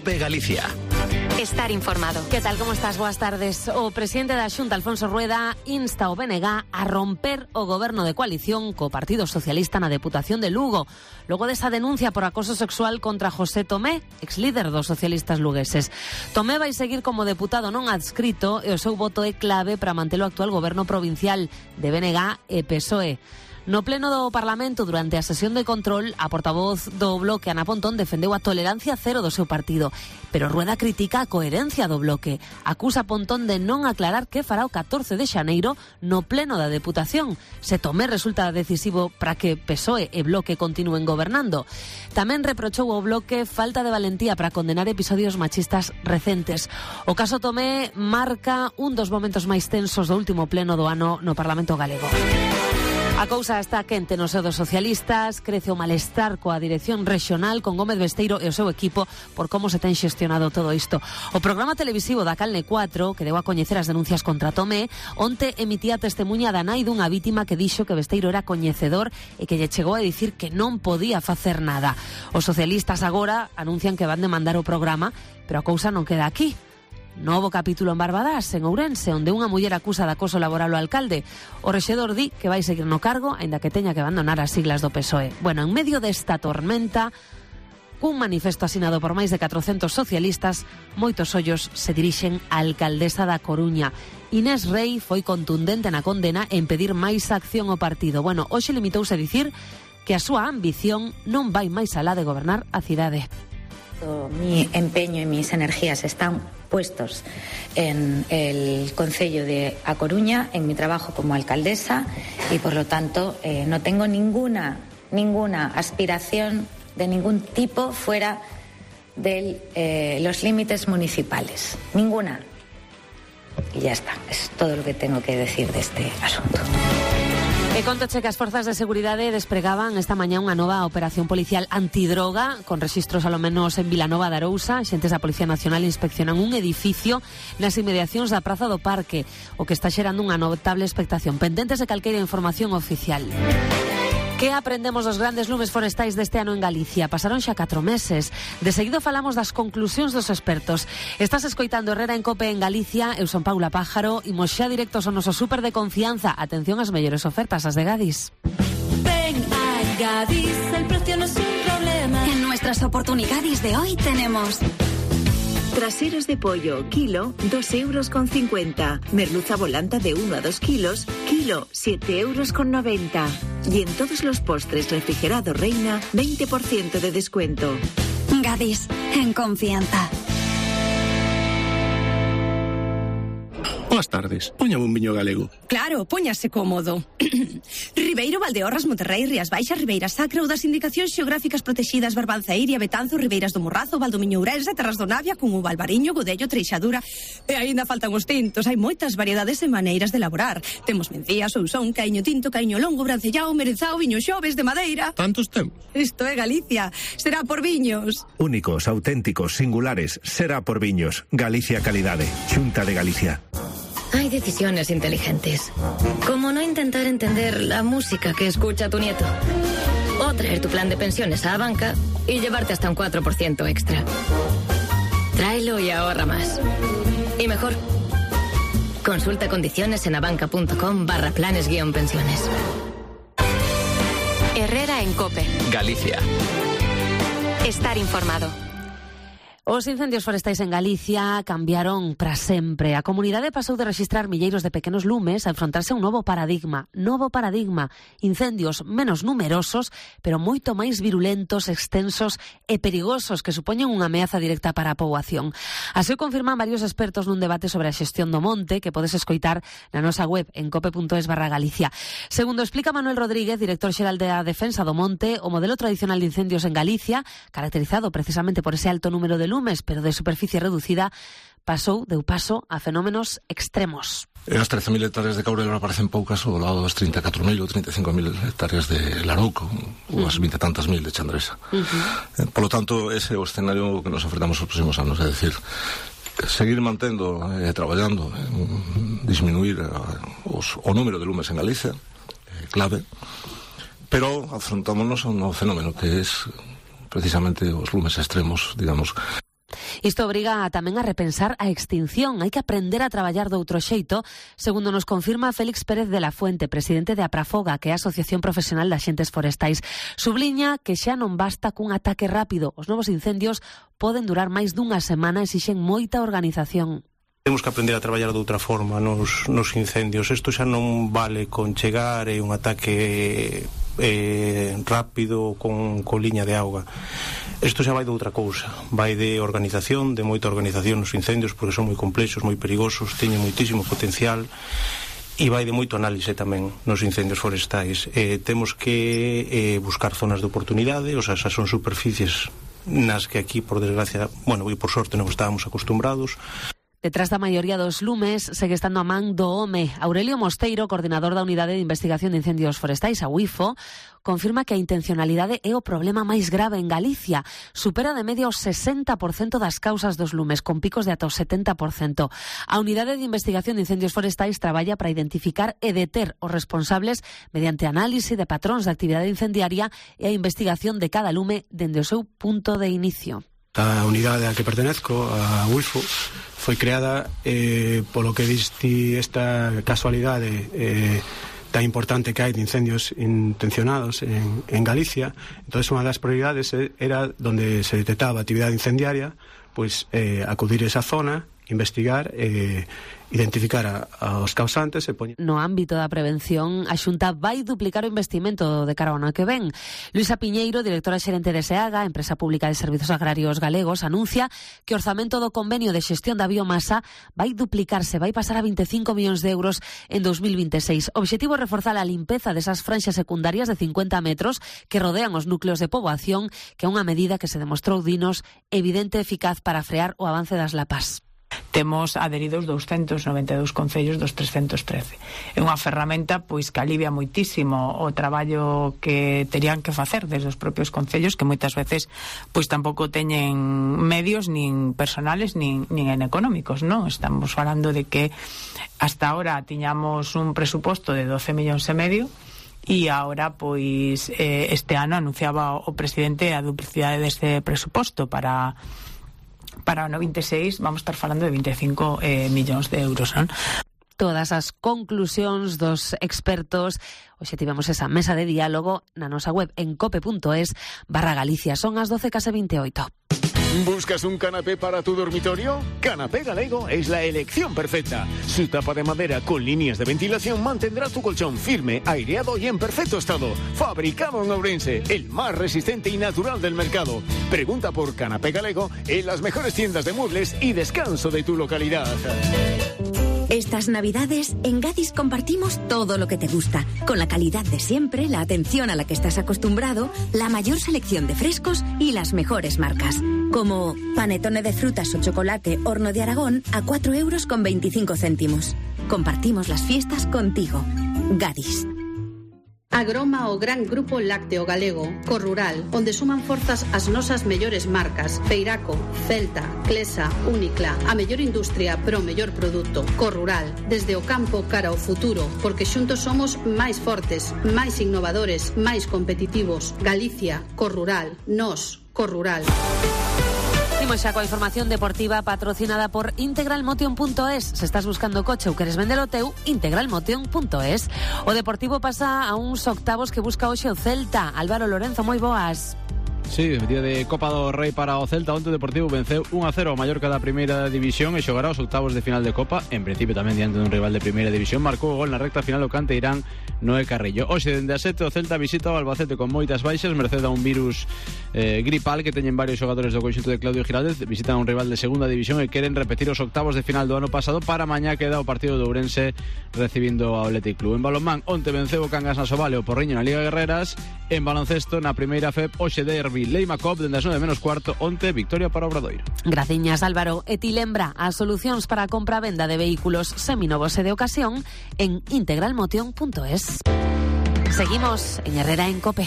COPE Galicia. Estar informado. Que tal, como estás? Boas tardes. O presidente da Xunta, Alfonso Rueda, insta o BNG a romper o goberno de coalición co Partido Socialista na Deputación de Lugo, logo desa denuncia por acoso sexual contra José Tomé, exlíder dos socialistas lugueses. Tomé vai seguir como deputado non adscrito e o seu voto é clave para manter o actual goberno provincial de BNG e PSOE. No pleno do Parlamento, durante a sesión de control, a portavoz do Bloque, Ana Pontón, defendeu a tolerancia cero do seu partido. Pero Rueda critica a coherencia do Bloque. Acusa a Pontón de non aclarar que fará o 14 de xaneiro no pleno da Deputación. Se Tomé resulta decisivo para que PSOE e Bloque continúen gobernando. Tamén reprochou ao Bloque falta de valentía para condenar episodios machistas recentes. O caso Tomé marca un dos momentos máis tensos do último pleno do ano no Parlamento galego. A cousa está quente no seo dos socialistas, crece o malestar coa dirección regional con Gómez Besteiro e o seu equipo por como se ten xestionado todo isto. O programa televisivo da Calne 4, que deu a coñecer as denuncias contra Tomé, onte emitía testemunha da nai dunha vítima que dixo que Besteiro era coñecedor e que lle chegou a dicir que non podía facer nada. Os socialistas agora anuncian que van demandar o programa, pero a cousa non queda aquí. Novo capítulo en Barbadás, en Ourense, onde unha muller acusa de acoso laboral ao alcalde. O rexedor di que vai seguir no cargo, aínda que teña que abandonar as siglas do PSOE. Bueno, en medio desta tormenta, cun manifesto asinado por máis de 400 socialistas, moitos ollos se dirixen á alcaldesa da Coruña. Inés Rei foi contundente na condena en pedir máis acción ao partido. Bueno, hoxe limitouse a dicir que a súa ambición non vai máis alá de gobernar a cidade. Mi empeño y mis energías están puestos en el Concello de A Coruña, en mi trabajo como alcaldesa, y por lo tanto no tengo ninguna aspiración de ningún tipo fuera de los límites municipales. Ninguna. Y ya está. Es todo lo que tengo que decir de este asunto. E contoche que as forzas de seguridade despregaban esta mañá unha nova operación policial antidroga con rexistros alo menos en Vilanova de Arousa. Xentes da Policía Nacional inspeccionan un edificio nas inmediacións da Praza do Parque, o que está xerando unha notable expectación. Pendentes de calqueira información oficial. Que aprendemos dos grandes lumes forestais deste ano en Galicia? Pasaron xa 4 meses. De seguido falamos das conclusións dos expertos. Estás escoitando Herrera en Cope en Galicia. Eu son Paula Pájaro. Imos xa directos ao noso súper de confianza. Atención ás mellores ofertas, as de Gadis. Ven a Gadis, el precio no es un problema. En nuestras oportunidades de hoy tenemos... Traseros de pollo, kilo, 2,50 €. Merluza volanta de 1 a 2 kilos, kilo, 7,90 €. Y en todos los postres refrigerados Reina, 20% de descuento. Gadis, en confianza. Boas tardes, póñame un viño galego. Claro, póñase cómodo. Ribeiro, Valdeorras, Monterrey, Rías Baixas, Ribeira Sacra ou das indicacións xeográficas protegidas Barbanza, Iria, Betanzo, Ribeiras do Morrazo, Valdomiño, Ourense, Terras do Navia, Cungo, Valbariño, Godello, Treixadura. E aínda faltan os tintos, hai moitas variedades e maneiras de elaborar. Temos mencía, sousón, caiño tinto, caiño longo, brancellao, merenzao, viño xoves de madeira. Tantos temos? Isto é Galicia, será por viños. Únicos, auténticos, singulares, será por viños. Galicia Calidade, Xunta de Galicia. Hay decisiones inteligentes, como no intentar entender la música que escucha tu nieto, o traer tu plan de pensiones a banca y llevarte hasta un 4% extra. Tráelo y ahorra más. Y mejor, consulta condiciones en abanca.com/planes-pensiones. Herrera en Cope. Galicia. Estar informado. Os incendios forestais en Galicia cambiaron para sempre. A comunidade pasou de rexistrar milleiros de pequenos lumes a enfrontarse a un novo paradigma. Incendios menos numerosos, pero moito máis virulentos, extensos e perigosos, que supoñen unha ameaza directa para a poboación. Así o confirman varios expertos nun debate sobre a xestión do monte que podes escoitar na nosa web en cope.es/Galicia. Segundo explica Manuel Rodríguez, director xeral da Defensa do Monte, o modelo tradicional de incendios en Galicia, caracterizado precisamente por ese alto número de lumes, pero de superficie reducida, deu paso a fenómenos extremos. As 13.000 hectáreas de caurel ahora parecen poucas ao lado das 34.000 ou 35.000 hectáreas de Larouco, ou as 20 e tantas mil de Chandresa. Por lo tanto, ese é o escenario que nos enfrentamos os próximos anos, é dicir, seguir mantendo e traballando en disminuir o número de lumes en Galicia, clave, pero afrontámonos a un novo fenómeno que é precisamente os lumes extremos, digamos. Isto obriga tamén a repensar a extinción. Hai que aprender a traballar doutro xeito, segundo nos confirma Félix Pérez de la Fuente, presidente de Aprafoga, que é a Asociación Profesional de Axentes Forestais. Subliña que xa non basta cun ataque rápido. Os novos incendios poden durar máis dunha semana e exixen moita organización. Temos que aprender a traballar de outra forma nos incendios. Isto xa non vale con chegar e un ataque rápido con liña de auga. Isto xa vai de outra cousa. Vai de organización, de moita organización nos incendios, porque son moi complexos, moi perigosos, teñen moitísimo potencial, e vai de moito análise tamén nos incendios forestais. Temos que buscar zonas de oportunidade, o sea, esas son superficies nas que aquí, por desgracia, e por sorte non estábamos acostumbrados. Detrás da maioría dos lumes segue estando a man do home. Aurelio Mosteiro, coordinador da Unidade de Investigación de Incendios Forestais, a UIFO, confirma que a intencionalidade é o problema máis grave en Galicia. Supera de media o 60% das causas dos lumes, con picos de ata o 70%. A Unidade de Investigación de Incendios Forestais traballa para identificar e deter os responsables mediante análise de patróns de actividade incendiaria e a investigación de cada lume dende o seu punto de inicio. A unidade a que pertenezco, a UIFO, foi creada polo que diste esta casualidade tan importante que hai de incendios intencionados en Galicia. Entón, unha das prioridades era donde se detectaba actividade incendiaria, pois acudir a esa zona, investigar, identificar aos causantes e poñer. No ámbito da prevención, a Xunta vai duplicar o investimento de cara ao ano que ven. Luisa Piñeiro, directora xerente de SEAGA, Empresa Pública de Servizos Agrarios Galegos, anuncia que o orzamento do convenio de xestión da biomasa vai duplicarse, vai pasar a 25 millóns de euros en 2026. O obxectivo é reforzar a limpeza desas franxas secundarias de 50 metros que rodean os núcleos de poboación, que é unha medida que se demostrou, dinos, evidente e eficaz para frear o avance das lapas. Temos adheridos 292 concellos dos 313. É unha ferramenta pois que alivia moitísimo o traballo que terían que facer desde os propios concellos, que moitas veces pois tampouco teñen medios nin personales nin económicos, non? Estamos falando de que hasta ahora tiñamos un presuposto de 12 millóns e medio e agora pois este ano anunciaba o presidente a duplicidade deste presuposto para o 26 vamos estar falando de 25 millóns de euros, non? Todas as conclusións dos expertos. Hoxe tivemos esa mesa de diálogo na nosa web en cope.es/Galicia. Son as 12:28. ¿Buscas un canapé para tu dormitorio? Canapé Galego es la elección perfecta. Su tapa de madera con líneas de ventilación mantendrá tu colchón firme, aireado y en perfecto estado. Fabricado en Ourense, el más resistente y natural del mercado. Pregunta por Canapé Galego en las mejores tiendas de muebles y descanso de tu localidad. Estas Navidades, en Gadis compartimos todo lo que te gusta, con la calidad de siempre, la atención a la que estás acostumbrado, la mayor selección de frescos y las mejores marcas. Como panetone de frutas o chocolate Horno de Aragón a 4,25 €. Compartimos las fiestas contigo. Gadis. Agroma o gran grupo lácteo galego, Corrural, onde suman forzas as nosas mellores marcas: Feiraco, Celta, Clesa, Únicla, a mellor industria pro mellor produto. Corrural, desde o campo cara ao futuro, porque xuntos somos máis fortes, máis innovadores, máis competitivos. Galicia, Corrural, nós, Corrural. Imos xa coa información deportiva patrocinada por integralmotion.es. Se estás buscando coche ou queres vender o teu, integralmotion.es. O Deportivo pasa a uns octavos que busca hoxe o Celta. Álvaro Lorenzo, moi boas. Sí, día de Copa do Rei para o Celta. Onte o Deportivo venceu 1-0 a Mallorca da primeira división e xogará os octavos de final de Copa. En principio tamén diante dun rival de primeira división. Marcou o gol na recta final o canteirán Noé Carrillo. Hoxe, dende a 7, o Celta visita o Albacete con moitas baixas, merced a un virus gripal que teñen varios xogadores do conxunto de Claudio Giraldez. Visitan a un rival de segunda división e queren repetir os octavos de final do ano pasado. Para mañá queda o partido de Ourense recibindo ao Athletic Club. En balonmán, onte venceu o Cangas na Sovale o Porriño na Liga Guerreras. En baloncesto, na primeira FEP, hoxe derbi Leima Cop dende as 9:45, onte victoria para Obradoiro. Graciñas, Álvaro. E ti lembra as solucións para a compra-venda de vehículos seminovos e de ocasión en integralmotion.es. Seguimos en Herrera en Cope.